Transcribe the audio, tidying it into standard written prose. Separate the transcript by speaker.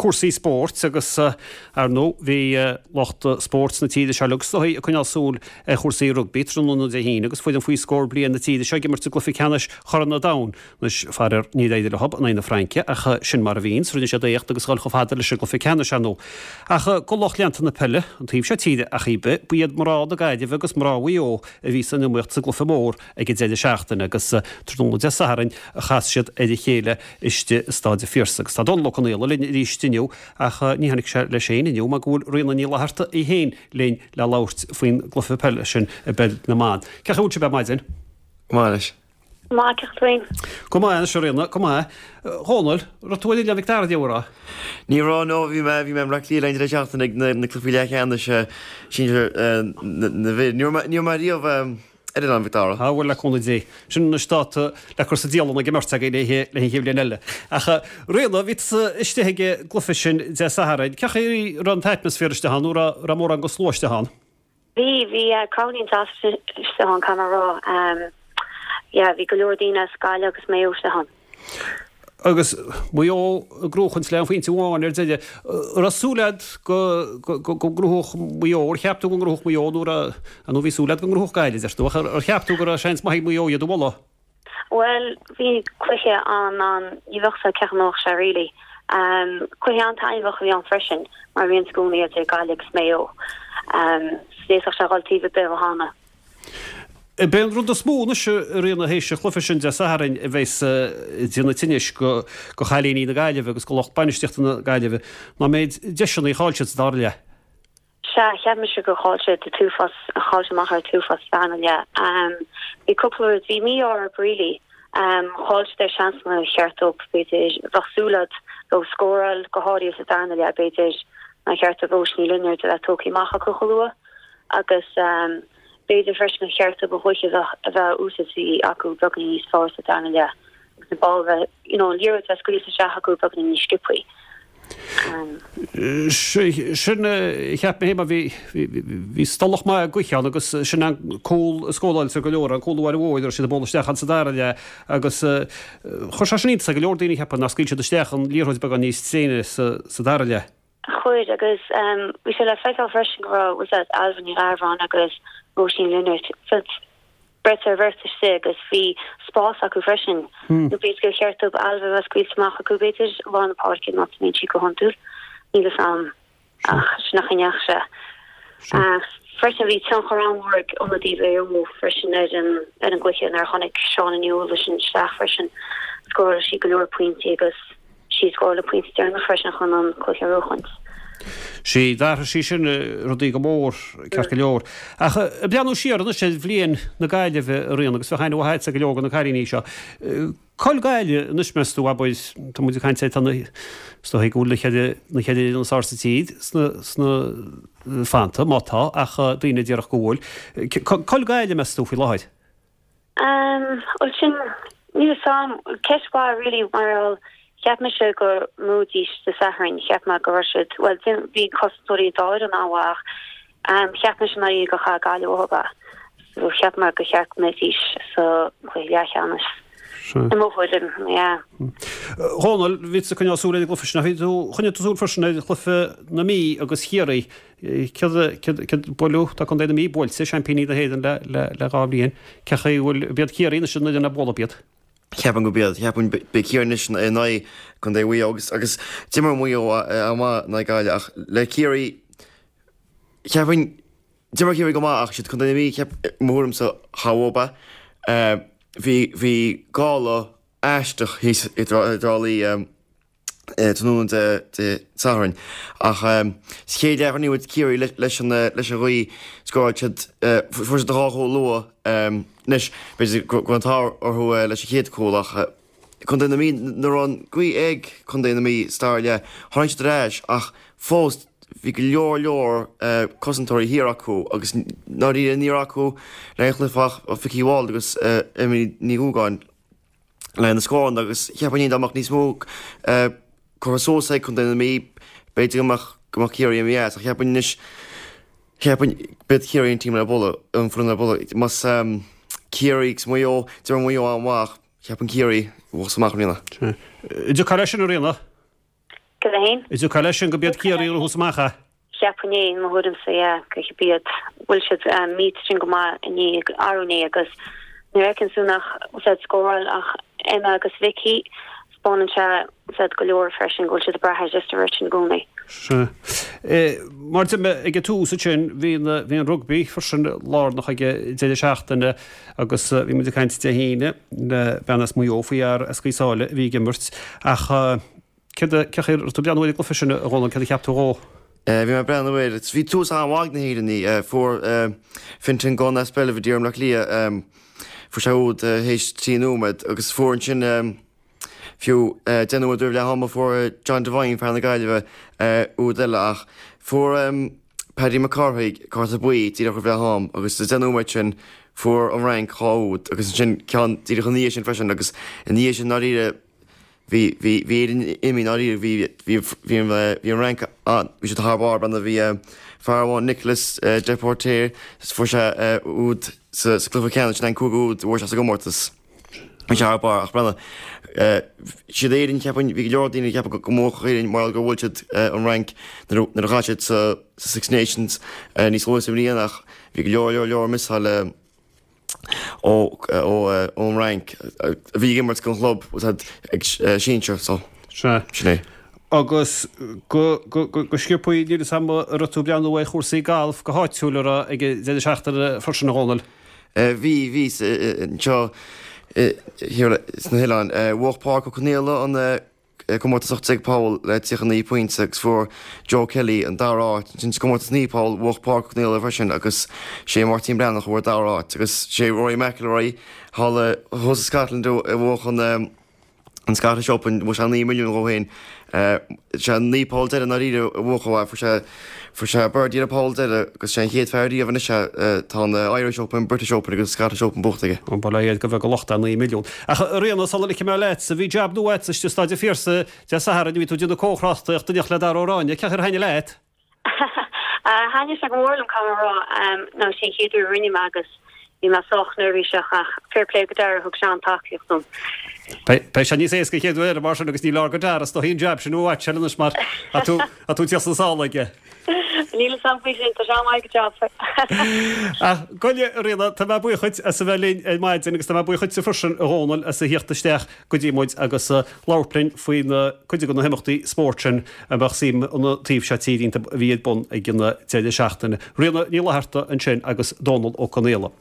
Speaker 1: cúrsaí spóirt agus, ar ndóigh, bhí lucht spóirt na tíre seo uilig is dóigh ag coinneáil súil ar chúrsaí rugbaí tráthnóna Dé hAoine agus foireann faoi scór bliain na tíre seo ag imirt i gcluiche ceannais Chorn an Domhain. Anois, faraor, níor éirigh leo in aghaidh na Fraince ach sin mar a bhíonns, rinne siad éacht agus dhul chomh fada leis an gcluiche ceannais, ar ndóigh. Ach go lucht leanta na peile, an taobh seo tíre ach ar bith, ba iad mná na Gaillimhe agus mná Mhaigh Eo a bhí san iomaíocht sa gcluiche mór ag an deireadh seachtaine agus tráthnóna Dé Sathairn a chas siad ar a chéile istigh i Staid an Phiarsaigh. Agus tá Dónal Ó Conaola linn arís inniu ach ní tháinig sé leis féin inniu mar go bhfuil Ríona Ní Fhlatharta í féin linn le labhairt faoin gcluiche peile sin i bpeil na mban. Cén chaoi a bhfuil sibh ar maidin?
Speaker 2: Go maith anois.
Speaker 3: Go maith, cén chaoi tú féin?
Speaker 1: Go maith anois a Ríona, go maith. A Dhónaill, raibh tú ar Oileán Mhic Dara inniu, an raibh?
Speaker 2: Ní raibh, no, bhí mé, bhí mé i mBleá Cliath an deireadh seachtaine ag na cluichí leathcheannais sinsir na bhfir. Ní raibh mé, ní raibh mé riamh ar Oileán Mhic Dara.
Speaker 1: Á bhuel, le cúnamh Dé. Sin anois dáta le cur sa dialann ag an mbeirt againn le an chéad bhliain eile. Ach a Ríona, bhí tusa istigh ag an gcluiche sin Dé Sathairn. Cén chaoi a raibh an t-atmaisféar istigh ann nó raibh raibh mórán den slua istigh ann?
Speaker 3: Bhí, bhí crowd iontach istigh ann, caithfidh mé a rá. Yeah, bhí go leor daoine as Gaillimh agus Maigh Eo istigh ann.
Speaker 1: Agus Maigh Eo ag gnóchaint le aon phointe amháin ar deireadh. An raibh súil agat go ngnóthódh Maigh Eo, ar cheap tú go ngnóthódh Maigh Eo nó raibh, nó bhí súil agat go ngnóthódh Gaillimh, deir tú, ach ar cheap tú go raibh seans maith ag Maigh Eo iad a bhualadh?
Speaker 3: Bhuel, bhí cluiche an, an, ní bheadh a fhios agat cén chaoi a mbeadh sé really. Cluiche an-taitneamhach a bhí ann freisin, mar a bhíonns i gcónaí idir Gaillimh agus Maigh Eo. So d'fhéadfadh sé dhul taobh ar bith ó cheana.
Speaker 1: B'é an rud is mó anois a Ríona théis an chluiche sin Dé Sathairn a bheas ag déanamh tinnis go chailíní na Gaillimhe agus go lucht bainistíochta na Gaillimhe ná an méid deiseanna a chaill siad sa dara leath.
Speaker 3: Sea, cheap mise gur chaill siad an t-uafás, chaill siad amach ar an t-uafás sa darna leath. Bhí cúpla rud, bhí mí-ádh orthu really. Chaill siad ar seansanna ar cheart dóibh, b'fhéidir, bheadh súil agat leo scóráil, go háirithe sa darna leath, b'fhéidir, nár cheart do Róise Ní Lionáird a bheith tógtha amach acu chomh luath agus B'fhéidir freisin gur cheart dóibh an ghaoth a bheith á úsáid acu beagáinín níos fearr sa darna leath agus an ball a bheith, you know, an liathróid a bheith scaoilte isteach acu beagáinín níos sciobthaí.
Speaker 1: Sin a cheap mé féin mar bhí, bhí stolladh maith gaoithe ann agus sin an cúl a scóráilte go leor, an cúl uair mhóir a raibh siad ag bualadh isteach ann sa dara leath agus chuir sé sin iontas ar go leor daoine, cheapfainn, nár scaoil siad isteach an liathróid beagán níos tréine sa dara leath.
Speaker 3: Chuir, agus bhí sé le feiceáil freisin go raibh, bhfuil a fhios agat, Ailbhe Ní Gharbháin agus Róisín Lynagh beirt ar bheirt istigh agus bhí spás acu freisin. Nó b'fhéidir gur cheart dóibh Ailbhe a bheith scaoilte amach acu b'fhéidir, i lár na páirce, an áit a mbíonn sí go hiondúil. Níl fhios a'm ach sin an chaoi a ndeachaigh sé. Ach freisin bhí tionchar an-mhór ag ionadaí Mhaigh Eo freisin ar an ar an gcluiche nuair a tháinig Shauna Ní Uallais isteach freisin. Scóráil sí go leor pointí agus sí a scóráil an pointe deireanach freisin chun an cluiche a bhuachaint.
Speaker 1: Sea, d'athraigh sí sin rudaí go mór, ceart go leor. Ach ag breathnú siar anois ar bhliain na Gaillimhe, a Ríona, agus bheadh aithne mhaith agatsa ar go leor de na cailíní seo, Cá bhfuil Gaillimh anois, meas tú, abair, tá muid ag caint ar, tá na, is dóigh go bhfuil na ceithre, na ceithre fhoireann is fearr sa tír sna, sna fanta, má tá, ach daoine a déarfadh go bhfuil. Cá bhfuil Gaillimh, meas tú, faoi láthair?
Speaker 3: Bhuel sin, níl fhios a'm, ceist mhaith really mar gheall, cheap mise go mbuafaidís Dé Sathairn, cheap mé go raibh siad, bhuel bhí cosantóirí an dá fhoireann an-mhaith ach cheap mise i ndáiríre gur chaith Gaillimh uathu é. So cheap mé gur cheart go mbeidís sa chluiche leathcheannais. I mo thuairim, yeah.
Speaker 1: Dhónaill, bhí tú ag coinneáil súil ar an gcluiche sin ach bhí tú, choinnigh tú súil freisin ar chluiche na Mí agus Chiarraí. Céard, céard, céard, buaileadh, tá Contae na Mí buailte, seaimpíní na hÉireann le, le, le 2 bhliain. Cén chaoi a bhfuil, ab iad Ciarraí anois an fhoireann le bualadh, ab iad?
Speaker 2: Ceapaim gurb iad. Ceapaim beidh Ciarraí anois in aghaidh Contae Mhaigh Eo agus, agus d'imir Maigh Eo an-mhaith in aghaidh Gaillimh ach le Ciarraí, ceapaim, d'imir Ciarraí go maith ach siad Contae na Mí, cheap, mo thuairimse, cha bhfuair ba. Bhí, bhí gála aisteach thíos i dTrá Lí. tráthnóna Dé Sathairn. Ach sa chéad leath rinne muid Ciarraí leis an leis an ghaoth, scóráil siad, fuair siad dhá chúl luath. Anois, b'fhéidir go raibh an t-ádh orthu leis an chéad chúl ach Contae na Mí, nuair a raibh an ghaoth ag Contae na Mí sa dara leath, tháinig siad ar ais ach fós bhí go leor leor cosantóirí thiar acu agus ndáiríre ní raibh acu le aon chluiche ach Vicky Ward agus Emily Ní Dhúgáin. le na scóranna agus cheapfainn dá mbeadh níos mó curtha suas ag Contae na Mí b'fhéidir go mbeadh go mbeadh Ciarraí imithe as ach cheapfainn anois cheapfainn b'iad Ciarraí an team le bualadh an foireann le bualadh más Ciarraí agus Maigh Eo d'imir Maigh Eo an-mhaith ach cheapfainn Ciarraí a bhuafas amach i mbliana.
Speaker 1: An dtiocfá leis sin a Ríona?
Speaker 3: Céard é féin?
Speaker 1: An dtiocfá leis sin gurb iad Ciarraí a raibh thuas amach é?
Speaker 3: Cheapfainn é, i mo thuairimse, yeah, gurb iad. Bhuail siad Meath sin go maith inné, arú inné agus nuair a fheiceann tú nach bhfuil siad ag scóráil ach Emma agus Vicky, 'spáineann sé siad go leor freisin go bhfuil siad ag brath ar just an bheirt sin i gcónaí.
Speaker 1: Sea. Mar a deir mé ag an tús ansin, bhí bhí an rugbaí freisin lárnach ag an deireadh seachtaine agus bhí muid ag caint Dé hAoine le bean as Maigh Eo faoi fhear as Gaoth Sáile a bhí ag imirt ach céard a, cén chaoi a raibh tú ag breathnú ar an gcluiche sin a Dhónaill, céard a cheap tú dhó?
Speaker 2: Bhí mé ag breathnú air, bhí tús an-mhaith ag na hÉireannaigh, fuair Fintan Gunne as Belvedere i mBleá Cliath, fuair sé úd théis 3 nóiméad agus fuair ansin fiú 10 nóiméad roimh leath ama fuair John Devine, fear na Gaillimhe, úd eile ach fuair Paddy Mac Cárthaigh cárta buí díreach roimh leath am agus sa 10 nóiméad sin fuair an Fhrainc 2 úd agus ansin ceann díreach ina dhiaidh sin freisin agus ina dhiaidh sin ndáiríre Bhí, bhí, bhí Éirinn imithe i ndáiríre, bhí, bhí, bhí an, bhí an Fhrainc an, bhí siad thar barr, b'fhéidir, bhí fear amháin Nicolas Depoortere, fuair sé úd sa, sa cluiche ceannais, sin an cúigiú úd a fuair sé sa gcomórtas. Bhí sé thar barr ach b'fhéidir, siad Éirinn, cheapfainn, bhí go leor daoine ag ceapadh go mbuafadh Éirinn mar gur bhuail siad an Fhrainc nuair a, nuair a chaill siad sa, sa Six Nations níos luaithe sa mbliain ach bhí go leor, leor, leor misáil ón Fhrainc a bhí ag imirt don chlub ag sinsir so
Speaker 1: Sea.
Speaker 2: sin é.
Speaker 1: Agus go sciobthaí níl fhios a'm an raibh tú ag breathnú ar chúrsaí gailf go háitiúil a raibh ag an deireadh seachtaine freisin a Dhónaill?
Speaker 2: Bhí, bhí anseo sna hoileáin. Bhuaigh Pádraic Ó Conaola an comórtas 18 poll le 39 pointe agus fuair Joe Kelly an dara háit. Ansin sa gcomórtas 9 poll bhuaigh Pádraic Ó Conaola freisin agus sé Máirtín Breathnach a fuair dara háit agus sé Rory McIlroy thall thuas i Scotland a bhuaigh an an Scottish Open, bhuaigh sé 9 milliún dhó féin. Sé an 9 poll deireadh i ndáiríre a bhuaigh ó fuair sé fuair sé birdie ar an poll deireadh agus sé an chéad fear riamh anois é tá an Irish Open, British Open agus Scottish Open buachta aige.
Speaker 1: Ba le iad go bheag a locht é 9 milliún. Ach a Ríona, sula ligfidh mé leatsa, bhí jab nua agatsa istigh i Staid an Phiarsaigh Dé Sathairn, bhí tú ag déanamh comhthráchtaireachta in éineacht le Dara Ó Ráinne. Cén chaoi ar thaitnigh leat?
Speaker 3: Thaitnigh sé go mór liom, caithfidh mé a rá. Nó sin an chéad uair a rinne mé agus bhí mé sách neirbhíseach ach fair play go Dara, thug sé an-tacaíocht dom.
Speaker 1: Beidh sé níos éasca an chéad uair eile mar sin agus ní leor go Dara is dóichí an jab sin uait anois mar tá tú ag tíocht sna sála aige.
Speaker 3: Níl fhios a'm faoi sin, tá sé an-mhaith ag a job.
Speaker 1: Ach gabh i leith, a Ríona, tá mé buíoch dhuit as a bheith linn ar maidin agus tá mé buíoch dhuitse freisin, a Dhónaill, as a thíocht isteach go dtí muid agus labhairt linn faoi na cuid de na himeachtaí spóirt sin a mbeadh suim an taobh seo tíre iontu a bhí ar bun ag an deireadh seachtaine. Ríona Ní Fhlatharta ansin agus Dónal Ó Conaola.